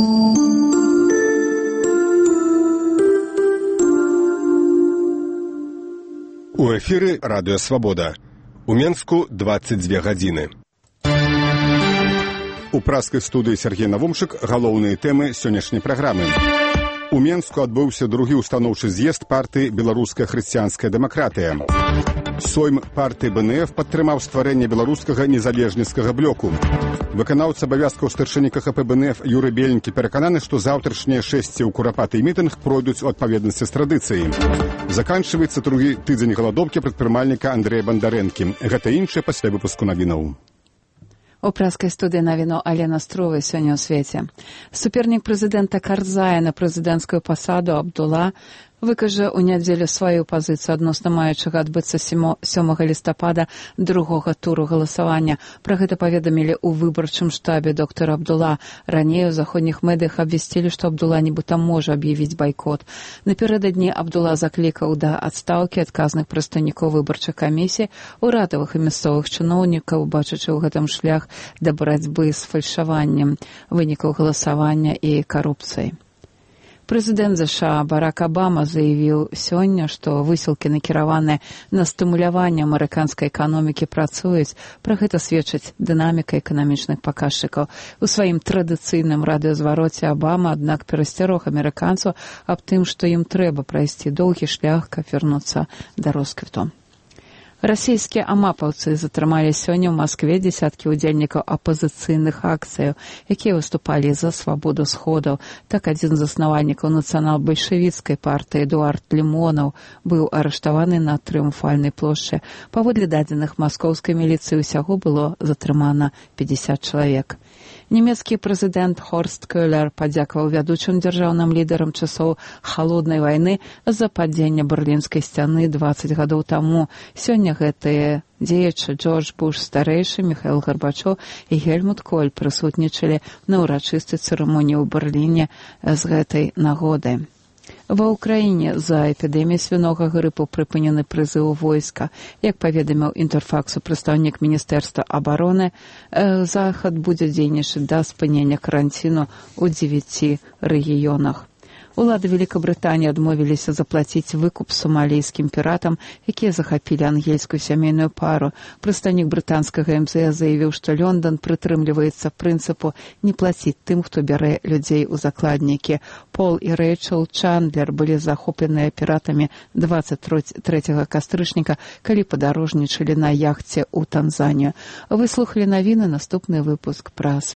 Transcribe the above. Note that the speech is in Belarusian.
У эфіры радыё «Свабода». У Менску 22 гадзіны. У праскай студыі Сергей Навумчык галоўныя тэмы сённяшняй праграмы. У Менску адбыўся другі ўстаноўчы з'езд партыі «Беларуская хрысціянская дэмакратыя». Сойм партыі БНФ падтрымаў стварэнне беларускага незалежніцкага блоку. Выканаўца абавязкаў старшыні КХП БНФ Юрый Беленькі перакананы, што заўтрашнія шэсці ў курапаты мітынг пройдуць у адпаведнасці з традыцыяй. Заканчваецца другі тыдзень галадоўкі прадпрымальніка Андрэя Бандарэнкі. Гэта іншае пасля выпуску навінаў. У праскай студыі навіну Алена Струвай сёння ў свеце. Супернік прэзідэнта Карзая на прэзідэнцкую пасаду Абдула выкажа ў нядзелю сваю пазіцыю адносна маючага адбыцца 7 лістапада другога туру галасавання. Пра гэта паведамілі ў выбарчым штабе доктор Абдула. Раней у заходніх медыях абвясцілі, што Абдула нібыта можа аб'явіць байкот. Напярэдадні Абдула заклікаў да адстаўкі адказных прадстаўнікоў выбарчых камісій, урадавых і мясцовых чыноўнікаў, бачачы ў гэтым шлях да барацьбы з фальшаваннем вынікаў галасавання і карупцыяй. Прэзідэнт ЗША Барак Абама заявіў сёння, што высілкі, накіраваныя на стымуляванне амерыканскай эканомікі, працуюць. Пра гэта сведчыць дынаміка эканамічных паказчыкаў. У сваім традыцыйным радыёзвароце Абама, аднак, перасцярог амерыканцаў аб тым, што ім трэба прайсці доўгі шлях, каб вярнуцца да росквіту. Расійскія амапаўцы затрымалі сёння ў Маскве дзесяткі удзельнікаў апазіцыйных акцыяў, якія выступалі за свабоду сходаў. Так, адзін з заснавальнікаў нацыянал-бальшавіцкай партыі Эдуард Лімонаў быў арыштаваны на Трыумфальнай плошчы. Паводле дадзеных маскоўскай міліцыі ўсяго было затрымана 50 чалавек. Нямецкі прэзідэнт Хорст Кёлер падзякаваў вядучым дзяржаўным лідарам часоў халоднай вайны за падзенне Берлінскай сцяны 20 гадоў таму. Сёння гэтыя дзеячы Джордж Буш старэйшы, Міхаіл Гарбачоў і Гельмут Коль прысутнічалі на ўрачыстай цырымоніі ў Берліне з гэтай нагоды. Ва ўкраіне за эпідэміяй свінога грыпу прыпынены прызыў войска. Як паведаміў Інтэрфаксу прадстаўнік Міністэрства абароны, захад будзе дзейнічаць да спынення каранціну ў 9 рэгіёнах. Улады Великабрытаніі адмовіліся заплаціць выкуп сомалійскім піратам, якія захапілі ангельскую сямейную пару. Прадстаўнік брытанскага МЗС заявіў, што Лондон прытрымліваецца прынцыпу не плаціць тым, хто бярэ людзей у закладнікі. Пол і Рэйчел Чандлер былі захопленыя піратамі 23 кастрычніка, калі падарожнічалі на яхце ў Танзанію. Выслухалі навіны, наступны выпуск пра